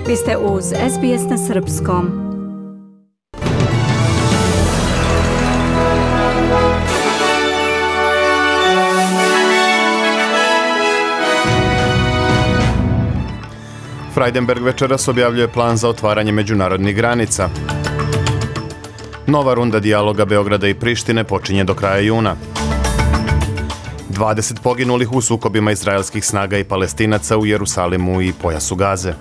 Vi ste uz SBS na srpskom. Frydenberg večeras objavljuje plan za otvaranje međunarodnih granica. Nova runda dijaloga Beograda i Prištine počinje do kraja juna. 20 poginulih u sukobima izraelskih snaga i Palestinaca u Jerusalimu i pojasu Gaze.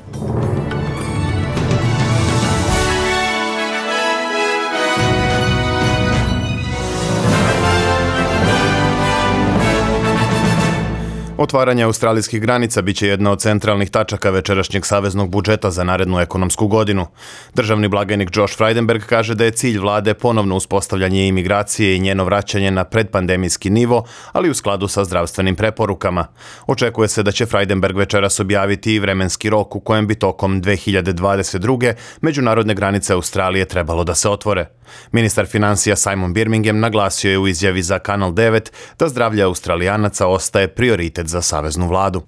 Otvaranje australijskih granica biće jedna od centralnih tačaka večerašnjeg saveznog budžeta za narednu ekonomsku godinu. Državni blagajnik Josh Frydenberg kaže da je cilj vlade ponovno uspostavljanje imigracije i njeno vraćanje na predpandemijski nivo, ali u skladu sa zdravstvenim preporukama. Očekuje se da će Frydenberg večeras objaviti i vremenski rok u kojem bi tokom 2022. međunarodne granice Australije trebalo da se otvore. Ministar financija Simon Birmingham naglasio je u izjavi za Kanal 9 da zdravlje Australijanaca ostaje prioritet za saveznu vladu.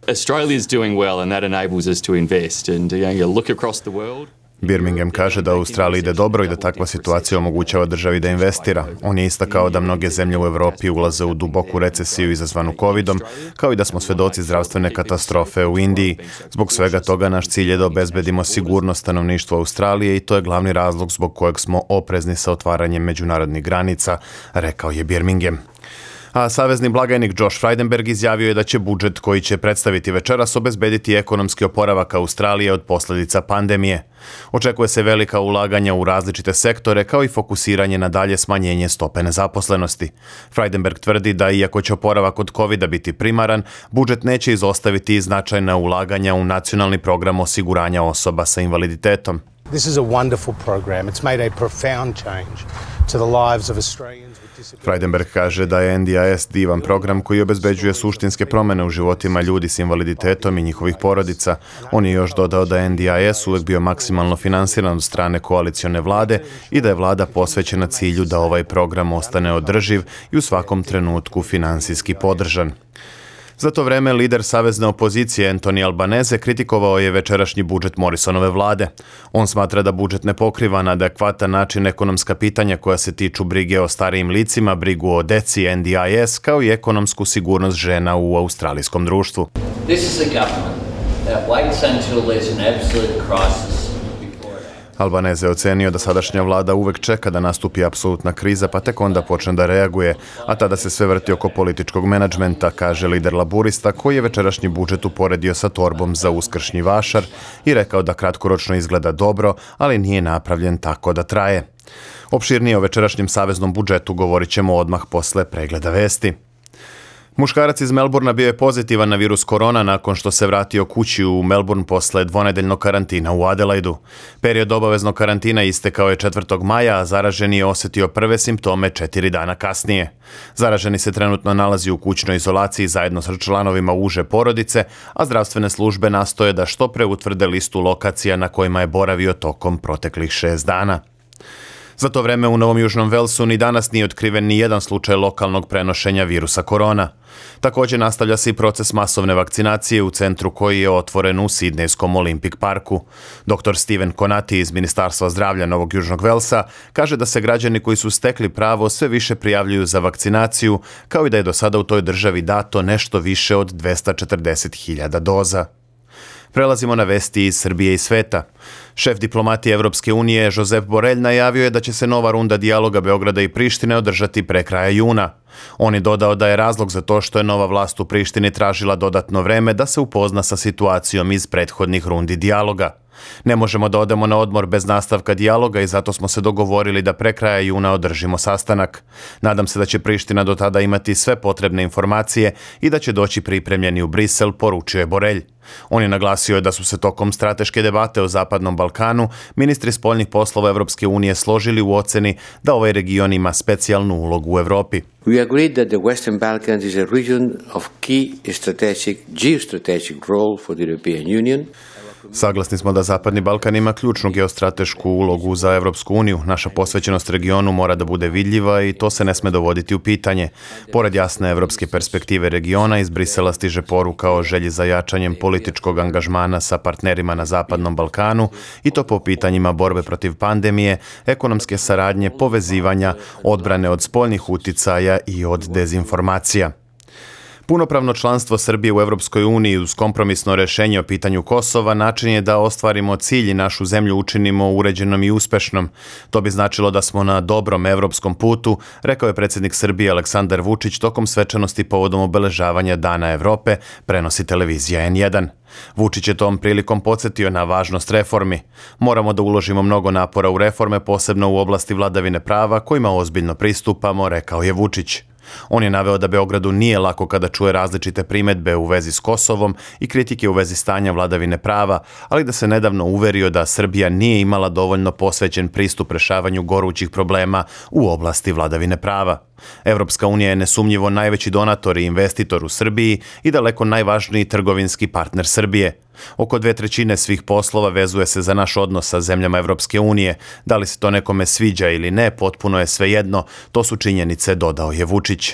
Birmingham kaže da Australiji ide dobro i da takva situacija omogućava državi da investira. On je istakao da mnoge zemlje u Evropi ulaze u duboku recesiju izazvanu covidom, kao i da smo svedoci zdravstvene katastrofe u Indiji. Zbog svega toga naš cilj je da obezbedimo sigurnost stanovništva Australije i to je glavni razlog zbog kojeg smo oprezni sa otvaranjem međunarodnih granica, rekao je Birmingham. A savezni blagajnik Josh Frydenberg izjavio je da će budžet koji će predstaviti večeras obezbediti ekonomski oporavak Australije od posljedica pandemije. Očekuje se velika ulaganja u različite sektore kao i fokusiranje na dalje smanjenje stope nezaposlenosti. Frydenberg tvrdi da iako će oporavak od covida biti primaran, budžet neće izostaviti i značajna ulaganja u nacionalni program osiguranja osoba sa invaliditetom. This is a wonderful program. It's made a profound change to the lives of Australians. Frydenberg kaže da je NDIS divan program koji obezbeđuje suštinske promjene u životima ljudi s invaliditetom i njihovih porodica. On je još dodao da je NDIS uvijek bio maksimalno finansiran od strane koalicione vlade i da je vlada posvećena cilju da ovaj program ostane održiv i u svakom trenutku finansijski podržan. Za to vreme lider savezne opozicije Anthony Albanese kritikovao je večerašnji budžet Morrisonove vlade. On smatra da budžet ne pokriva na adekvatan način ekonomska pitanja koja se tiču brige o starijim licima, brigu o deci, NDIS, kao i ekonomsku sigurnost žena u australijskom društvu. This is a government that waits until there's an absolute crisis. Albanese je ocenio da sadašnja vlada uvek čeka da nastupi apsolutna kriza pa tek onda počne da reaguje, a tada se sve vrti oko političkog menadžmenta, kaže lider laburista koji je večerašnji budžet uporedio sa torbom za uskršnji vašar i rekao da kratkoročno izgleda dobro, ali nije napravljen tako da traje. Opširnije o večerašnjem saveznom budžetu govorit ćemo odmah posle pregleda vesti. Muškarac iz Melbourna bio je pozitivan na virus korona nakon što se vratio kući u Melbourne posle dvonedeljnog karantina u Adelaidu. Period obaveznog karantina istekao je 4. maja, a zaraženi je osjetio prve simptome 4 dana kasnije. Zaraženi se trenutno nalazi u kućnoj izolaciji zajedno sa članovima uže porodice, a zdravstvene službe nastoje da što pre utvrde listu lokacija na kojima je boravio tokom proteklih 6 dana. Za to vreme u Novom Južnom Velsu ni danas nije otkriven ni jedan slučaj lokalnog prenošenja virusa korona. Također nastavlja se i proces masovne vakcinacije u centru koji je otvoren u Sidnejskom Olympic parku. Dr. Steven Konati iz Ministarstva zdravlja Novog Južnog Velsa kaže da se građani koji su stekli pravo sve više prijavljuju za vakcinaciju, kao i da je do sada u toj državi dato nešto više od 240.000 doza. Prelazimo na vesti iz Srbije i sveta. Šef diplomatije Evropske unije Josep Borrell najavio je da će se nova runda dijaloga Beograda i Prištine održati pre kraja juna. On je dodao da je razlog za to što je nova vlast u Prištini tražila dodatno vreme da se upozna sa situacijom iz prethodnih rundi dijaloga. Ne možemo da odemo na odmor bez nastavka dijaloga i zato smo se dogovorili da pre kraja juna održimo sastanak. Nadam se da će Priština do tada imati sve potrebne informacije i da će doći pripremljeni u Brisel, poručio je Borrell. On je naglasio da su se tokom strateške debate o Zapadnom Balkanu ministri spoljnih poslova Evropske unije složili u oceni da ovaj region ima specijalnu ulogu u Evropi. We agreed that the Western Balkans is a region of key geostrategic role for the European Union. Saglasni smo da Zapadni Balkan ima ključnu geostratešku ulogu za Evropsku uniju. Naša posvećenost regionu mora da bude vidljiva i to se ne sme dovoditi u pitanje. Pored jasne evropske perspektive regiona, iz Brisela stiže poruka o želji za jačanjem političkog angažmana sa partnerima na Zapadnom Balkanu i to po pitanjima borbe protiv pandemije, ekonomske saradnje, povezivanja, odbrane od spoljnih uticaja i od dezinformacija. Punopravno članstvo Srbije u Evropskoj uniji uz kompromisno rešenje o pitanju Kosova način je da ostvarimo cilj i našu zemlju učinimo uređenom i uspešnom. To bi značilo da smo na dobrom evropskom putu, rekao je predsjednik Srbije Aleksandar Vučić tokom svečanosti povodom obeležavanja Dana Evrope, prenosi televizija N1. Vučić je tom prilikom podsjetio na važnost reformi. Moramo da uložimo mnogo napora u reforme, posebno u oblasti vladavine prava, kojima ozbiljno pristupamo, rekao je Vučić. On je naveo da Beogradu nije lako kada čuje različite primedbe u vezi s Kosovom i kritike u vezi stanja vladavine prava, ali da se nedavno uverio da Srbija nije imala dovoljno posvećen pristup rešavanju gorućih problema u oblasti vladavine prava. Evropska unija je nesumnjivo najveći donator i investitor u Srbiji i daleko najvažniji trgovinski partner Srbije. Oko 2/3 svih poslova vezuje se za naš odnos sa zemljama Evropske unije. Da li se to nekome sviđa ili ne, potpuno je svejedno, to su činjenice, dodao je Vučić.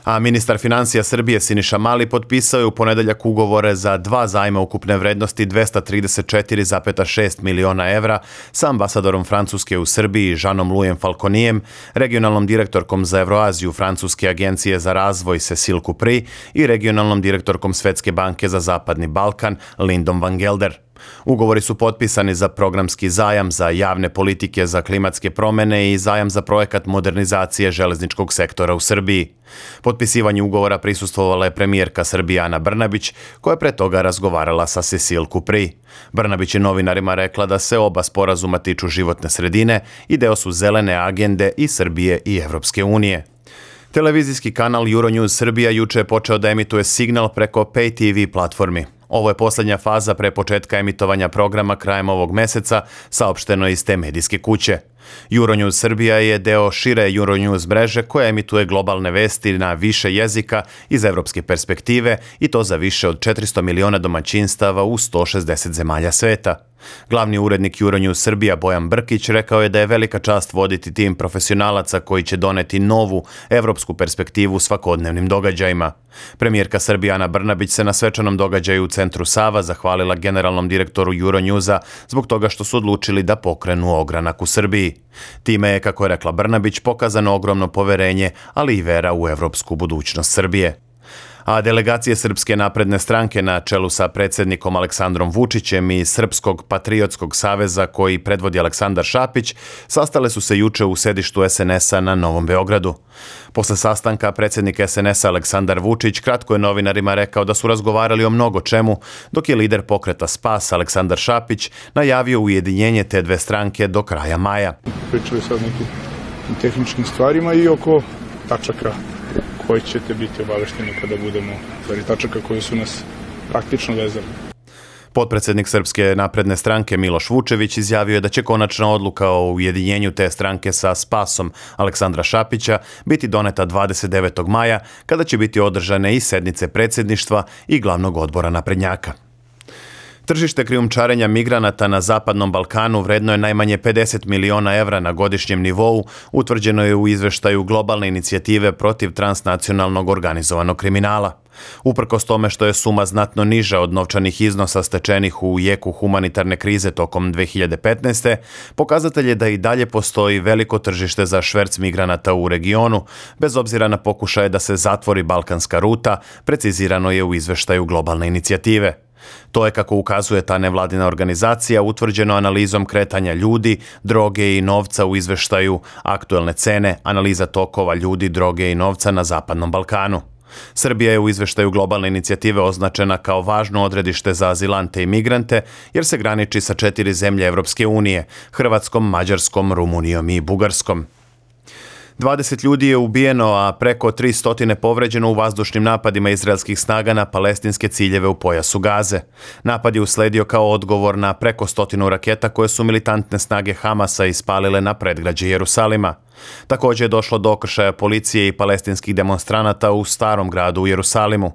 A ministar financija Srbije Siniša Mali potpisao je u ponedeljak ugovore za 2 zajma ukupne vrednosti 234,6 miliona evra sa ambasadorom Francuske u Srbiji Jeanom-Louisom Falconijem, regionalnom direktorkom za Evroaziju Francuske agencije za razvoj Cécile Couprie i regionalnom direktorkom Svetske banke za Zapadni Balkan Lindom van Gelder. Ugovori su potpisani za programski zajam za javne politike za klimatske promene i zajam za projekat modernizacije železničkog sektora u Srbiji. Potpisivanje ugovora prisustvovala je premijerka Srbije Ana Brnabić, koja je pre toga razgovarala sa Cécile Couprie. Brnabić je novinarima rekla da se oba sporazuma tiču životne sredine i deo su zelene agende i Srbije i Evropske unije. Televizijski kanal Euronews Srbija juče je počeo da emituje signal preko Pay TV platformi. Ovo je posljednja faza pre početka emitovanja programa krajem ovog meseca, saopšteno iz te medijske kuće. Euronews Srbija je deo šire Euronews mreže koja emituje globalne vesti na više jezika iz evropske perspektive i to za više od 400 miliona domaćinstava u 160 zemalja sveta. Glavni urednik Euronews Srbija Bojan Brkić rekao je da je velika čast voditi tim profesionalaca koji će doneti novu evropsku perspektivu svakodnevnim događajima. Premijerka Srbije Ana Brnabić se na svečanom događaju u centru Sava zahvalila generalnom direktoru Euronewsa zbog toga što su odlučili da pokrenu ogranak u Srbiji. Time je, kako je rekla Brnabić, pokazano ogromno poverenje, ali i vera u evropsku budućnost Srbije. A delegacije Srpske napredne stranke na čelu sa predsjednikom Aleksandrom Vučićem i Srpskog patriotskog saveza koji predvodi Aleksandar Šapić sastale su se juče u sedištu SNS-a na Novom Beogradu. Posle sastanka predsjednik SNS-a Aleksandar Vučić kratko je novinarima rekao da su razgovarali o mnogo čemu, dok je lider pokreta Spas Aleksandar Šapić najavio ujedinjenje te dve stranke do kraja maja. Pričali sad nekim tehničkim stvarima i oko tačaka koji ćete biti obavešteni kada budemo, tačaka koji su nas praktično vezali. Potpredsjednik Srpske napredne stranke Miloš Vučević izjavio je da će konačna odluka o ujedinjenju te stranke sa Spasom Aleksandra Šapića biti doneta 29. maja, kada će biti održane i sednice predsjedništva i glavnog odbora naprednjaka. Tržište krijumčarenja migranata na Zapadnom Balkanu vredno je najmanje 50 miliona evra na godišnjem nivou, utvrđeno je u izveštaju globalne inicijative protiv transnacionalnog organizovanog kriminala. Uprkos tome što je suma znatno niža od novčanih iznosa stečenih u jeku humanitarne krize tokom 2015. pokazatelj je da i dalje postoji veliko tržište za šverc migranata u regionu, bez obzira na pokušaje da se zatvori balkanska ruta, precizirano je u izveštaju globalne inicijative. To je, kako ukazuje ta nevladina organizacija, utvrđeno analizom kretanja ljudi, droge i novca u izveštaju Aktuelne cene, analiza tokova ljudi, droge i novca na Zapadnom Balkanu. Srbija je u izveštaju globalne inicijative označena kao važno odredište za azilante i migrante, jer se graniči sa 4 zemlje Evropske unije, Hrvatskom, Mađarskom, Rumunijom i Bugarskom. 20 ljudi je ubijeno, a preko 300 povređeno u vazdušnim napadima izraelskih snaga na palestinske ciljeve u pojasu Gaze. Napad je usledio kao odgovor na preko 100 raketa koje su militantne snage Hamasa ispalile na predgrađe Jerusalima. Također je došlo do okršaja policije i palestinskih demonstranata u starom gradu u Jerusalimu.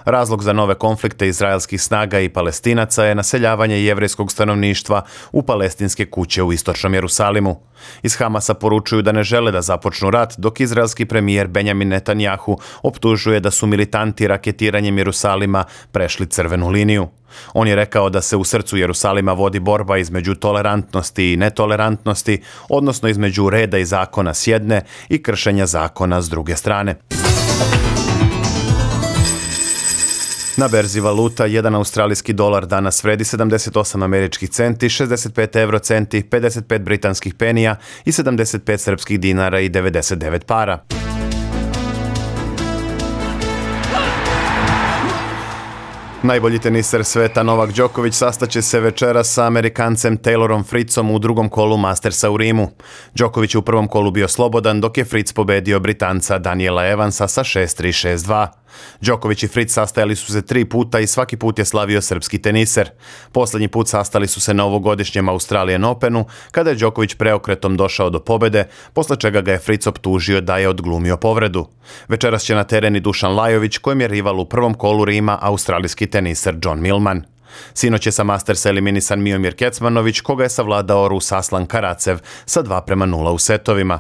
Razlog za nove konflikte izraelskih snaga i Palestinaca je naseljavanje jevrejskog stanovništva u palestinske kuće u istočnom Jerusalimu. Iz Hamasa poručuju da ne žele da započnu rat, dok izraelski premijer Benjamin Netanjahu optužuje da su militanti raketiranjem Jerusalima prešli crvenu liniju. On je rekao da se u srcu Jerusalima vodi borba između tolerantnosti i netolerantnosti, odnosno između reda i zakona s jedne i kršenja zakona s druge strane. Na berzi valuta, 1 australijski dolar danas vredi 78 američkih centi, 65 eurocenti, 55 britanskih penija i 75 srpskih dinara i 99 para. Najbolji teniser sveta Novak Đoković sastaće se večeras sa Amerikancem Taylorom Fritzom u drugom kolu Mastersa u Rimu. Đoković je u prvom kolu bio slobodan, dok je Fritz pobedio Britanca Daniela Evansa sa 6-3, 6-2. Đoković i Fritz sastajali su se 3 puta i svaki put je slavio srpski teniser. Posljednji put sastali su se na ovogodišnjem Australian Openu, kada je Đoković preokretom došao do pobjede, posle čega ga je Fritz optužio da je odglumio povredu. Večeras će na teren i Dušan Lajović, kojem je rival u prvom kolu Rima australijski teniser John Millman. Sinoć je sa Mastersa eliminisan Miomir Kecmanović, koga je savladao Rus Aslan Karacev sa 2:0 u setovima.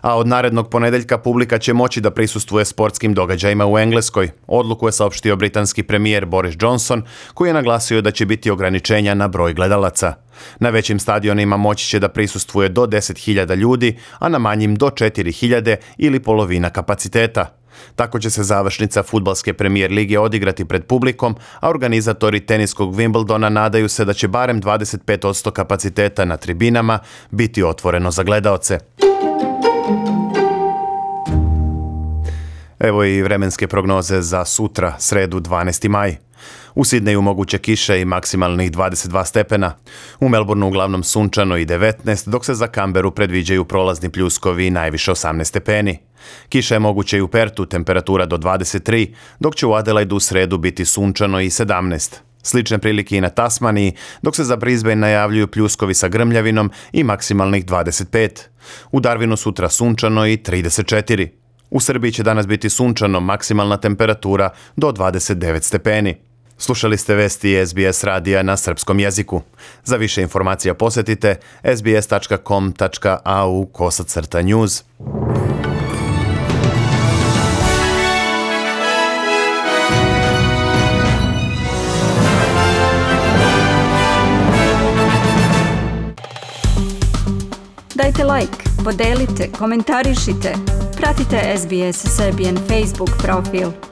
A od narednog ponedeljka publika će moći da prisustvuje sportskim događajima u Engleskoj. Odluku je saopštio britanski premijer Boris Johnson, koji je naglasio da će biti ograničenja na broj gledalaca. Na većim stadionima moći će da prisustvuje do 10.000 ljudi, a na manjim do 4.000 ili polovina kapaciteta. Tako će se završnica fudbalske premijer lige odigrati pred publikom, a organizatori teniskog Wimbledona nadaju se da će barem 25% kapaciteta na tribinama biti otvoreno za gledaoce. Evo i vremenske prognoze za sutra, sredu 12. maj. U Sidneju moguće kiše i maksimalnih 22 stepena. U Melbourneu uglavnom sunčano i 19, dok se za Canberu predviđaju prolazni pljuskovi i najviše 18 stepeni. Kiša je moguće i u Pertu, temperatura do 23, dok će u Adelaidu u sredu biti sunčano i 17. Slične prilike i na Tasmaniji, dok se za Brisbane najavljuju pljuskovi sa grmljavinom i maksimalnih 25. U Darwinu sutra sunčano i 34. U Srbiji će danas biti sunčano, maksimalna temperatura do 29 stepeni. Slušali ste vesti SBS radija na srpskom jeziku. Za više informacija posjetite sbs.com.au/news. Dajte like, podelite, komentarišite. Pratite SBS Serbian Facebook profil.